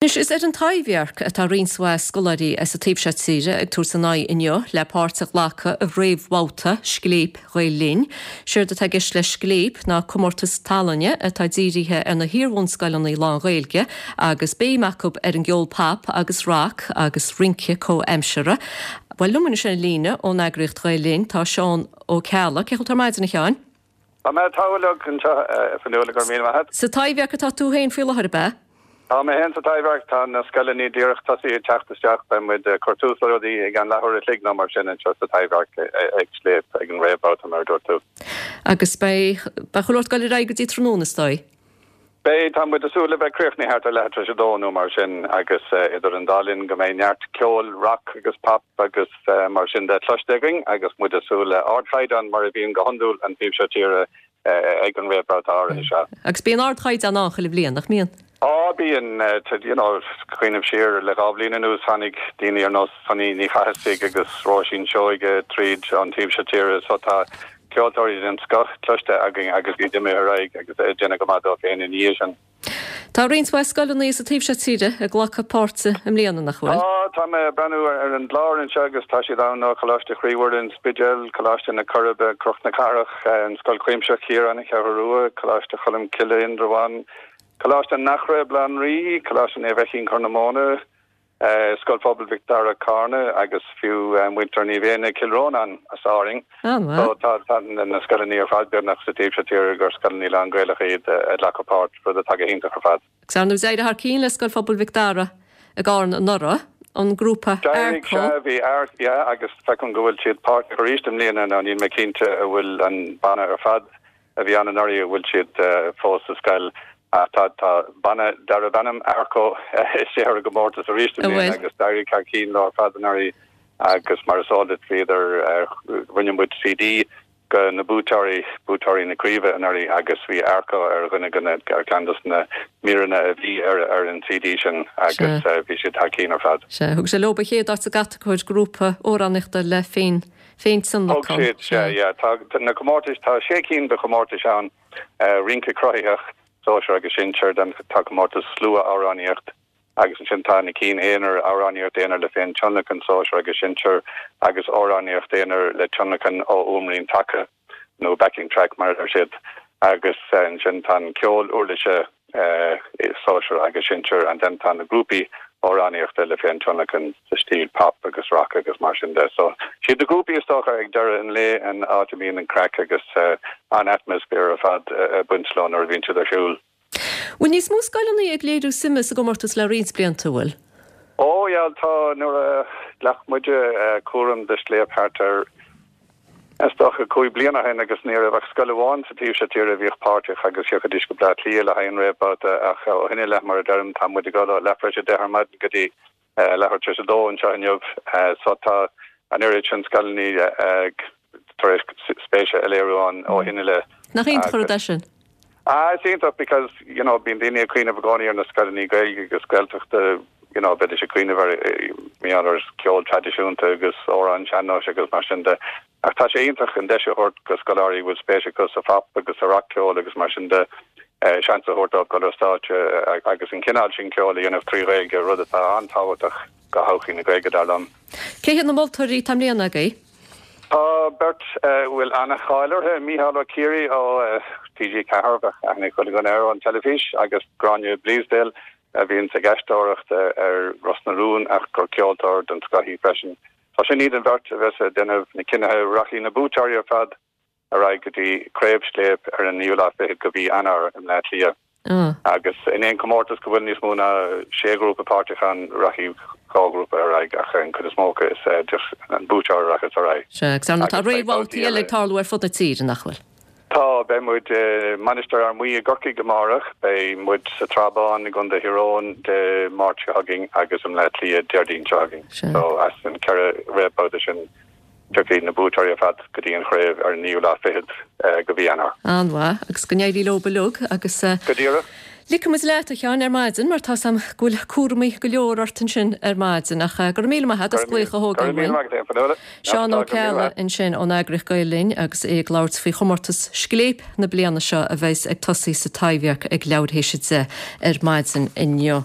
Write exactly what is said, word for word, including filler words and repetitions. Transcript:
Anois, is ar an Taibhdhearc atá roinnt mhaith scoláirí as an taobh seo tíre ag tabhairt a n-aghaidh inniu le páirt a ghlacadh i réamhbhabhta Scléip Ghael Linn. Séard atá i gceist le Scléip ná comórtas tallainne atá dírithe ar na hiar-bhunscoileanna lán-Ghaeilge agus béim acu ar an gceol pop agus rac agus rince comhaimseartha. Bhuel, liom anois ar an líne ón eagraíocht Ghael Linn tá Seán Ó Ceallaigh. Cén chaoi a bhfuil tú ar maidin, a Sheáin? Tá mé togha anseo, a Fhionnuala, go raibh míle maith agat. Sa Taibhdhearc atá tú féin faoi láthair, ab ea? Tá mé féin sa Taibhdhearc, tá na scoileanna díreach tosaithe ag teacht isteach, beidh muid ag cur tús le rudaí i gceann leathuair a chloig nó mar sin anseo sa Taibhdhearc ag Scléip ag an réamhbhabhta mar a dúirt tú. Agus beidh beidh chuile shórt ag dul ar aghaidh go dtí tráthnóna is dóigh? Beidh, tá muid ag súil le bheith críochnaithe thart ar leathuair tar éis a dó nó mar sin agus idir an dá linn go mbeidh neart ceoil rock agus pop agus mar sin de cloiste againn agus muid ag súil le ardchaighdeán mar a bhíonn go hiondúil an taobh seo tíre ag an réamhbhabhta áirithe seo. Agus bíonn ardchaighdeán ann chuile bhliain, nach mbíonn? Á, bíonn. You know, cuimhním siar le dhá bhliain anuas tháinig daoine ar nós Sonaí Ní Chathasaigh agus Róisín Seoige tríd an taobh seo tíre so tá ceoltóirí den scoth cloiste againn agus iad imithe ar aghaidh agus ag déanamh go maith dóibh féin ina dhiaidh sin. Tá roinnt mhaith scoileanna sa taobh seo tíre ag glacadh páirte i mbliana, nach bhfuil? Tá, tá mé ag breathnú ar an gclár anseo agus tá siad ann ó Choláiste Chroí Mhuire, An Spidéal, Coláiste na Coiribe, Cnoc na Cathrach, an Scoil Chuimsitheach Chiaráin, An Cheathrú Rua, Coláiste Cholm Cille, Indreabhán, Coláiste an Eachra, Baile Átha an Rí, Coláiste Naomh Feichín, Corr na Móna, Scoil Phobail Mhic Dara, Carna agus fiú muintir Naomh Éanna, Cill Rónáin as Árainn. So tá tá na scoileanna ar fad beagnach sa taobh seo tíre gur scoileanna lán-Ghaelacha iad ag glacadh páirt, rud atá go hiontach ar fad. Agus ar ndóigh d'éirigh thar cionn le Scoil Phobail Mhic Dara i gCarna anuraidh, an grúpa D'éirigh, sea, bhí Art, yeah, agus feicim go bhfuil siad páirteach arís i mbliana, nó níl mé cinnte an bhfuil an banna ar fad a bhí ann anuraidh, an bhfuil siad fós sa scoil ach tá tá banna darb ainm Arco istigh ar an gcomórtas arís i mbliana agus d'éirigh thar cionn leo ar fad anuraidh agus mar is eol duit bhíodar rinne muid CD go na buaiteoirí, buaiteoirí na craoibhe anuraidh agus bhí Arco ar dhuine de na ar cheann de na míreanna a bhí ar ar an CD sin agus bhí siad thar cionn ar fad. Sea, thug sé leo an chéad áit sa gcatagóir grúpa amhránaíochta le féin féintionlacan. Thug siad, sea, yeah. Tá na comórtais, tá sé cinn de chomórtais ann, rince cruthaitheach, sóisear agus sinsear, then tá comórtas slua-amhránaíocht agus ansin tá na cinn aonair, amhránaíocht aonair le féintionlacan, sóisear agus sinsear, agus amhránaíocht aonair le tionlacan ó fhuaimrian taca nó backing track mar a deir siad. Agus ansin tá an ceol uirlise, sóisear agus sinsear, and then tá na grúpaí amhránaíochta le féintionlacan sa stíl pop agus rock agus mar sin de. So siad na grúpaí is dócha ag deireadh an lae an áit a mbíonn an craic agus an atmaisféar ar fad ag baint leo nuair a bhíonn siad ar siúl. Bhfuil níos mó scoileanna ag léiriú suime sa gcomórtas le roinnt blianta, an bhfuil? Ó yeah, tá. Nuair a ghlac muide cúram de Scléip thart ar Is dócha cúig bliana ó shin agus ní raibh ach scoil amháin sa taobh seo tíre a bhíodh páirteach agus thiocfaidís go Bleá Cliath le haghaidh an réamhbhabhta ach ó shin i leith, mar a deirim, tá muid ag dul ó leathuair tar éis a deich ar maidin go dtí leathuair tar éis a dó anseo inniu so tá an oiread sin scoileanna tar éis spéise a léiriú ann ó shin i leith. Nach iontach an rud é sin? Ah, is iontach because, you know, bíonn daoine ag cuimhneamh i gcónaí ar na scoileanna Gaeilge agus Gaeltachta, you know, bheidís ag cuimhneamh ar, you know, ar ceol traidisiúnta agus amhráin sean-nóis agus mar sin de. Ach tá sé iontach an deis a thabhairt go scoláirí a bhfuil spéis acu sa phop agus sa rac-cheol agus mar sin de, seans a thabhairt dóibh dul ar stáitse agus an cineál sin ceoil a dhéanamh trí Ghaeilge, rud atá an-tábhachtach do thodhchaí na Gaeilge, dar liom. Cé hiad na moltóirí atá i mbliana agaibh? Tá beirt a bhfuil an-cháil orthu, Mícheál Ó Ciaraidh ó TG Ceathair, bheadh aithne ag chuile dhuine air ón teilifís, agus Gráinne Bleasdale a bhíonns ag aisteoireacht ar Ros na Rún ach gur ceoltóir den scoth í freisin. So sin iad an bheirt a bheas ag déanamh na cinnithe. Rachaidh na buaiteoirí ar fad ar aghaidh go dtí Craobh Scléip ar an naoú lá fichead de mhí Eanáir i mBleá Cliath. Agus in aon chomórtas go bhfuil níos mó ná sé ghrúpa páirteach ann, rachaidh dhá ghrúpa ar aghaidh ach an chuid is mó acu is just an buaiteoir a rachas ar aghaidh. Sea, agus ar ndóigh tá réamhbhabhtaí eile ag tarlú ar fud na tíre, nach bhfuil? Tá, beidh muid i Mainistir Fhear Maí i gCorcaigh amárach, beidh muid sa Tsrath Bán i gContae Thír Eoghain Dé Máirt seo chugainn agus i mBleá Cliath Déardaoin seo chugainn. So as an ceithre réamhbhabhta sin, Tiocfaidh na buaiteoirí ar fad go dtí an chraobh ar an naoú lá fichead de mhí Eanáir. An-mhaith, agus go n-éirí leo uilig agus. Go díreach. Ligfidh muid leat, a Sheáin, ar maidin mar tá 's a'm go bhfuil cúramaí go leor ort ansin ar maidin ach go raibh míle maith agat as glaoch a thógáil uainn. Seán Ó Ceallaigh ansin ón eagraíocht Gael Linn agus é ag labhairt faoi chomórtas Scléip na bliana seo a bheas ag tosaí sa Taibhdhearc ag leathuair théis a deich ar maidin inniu.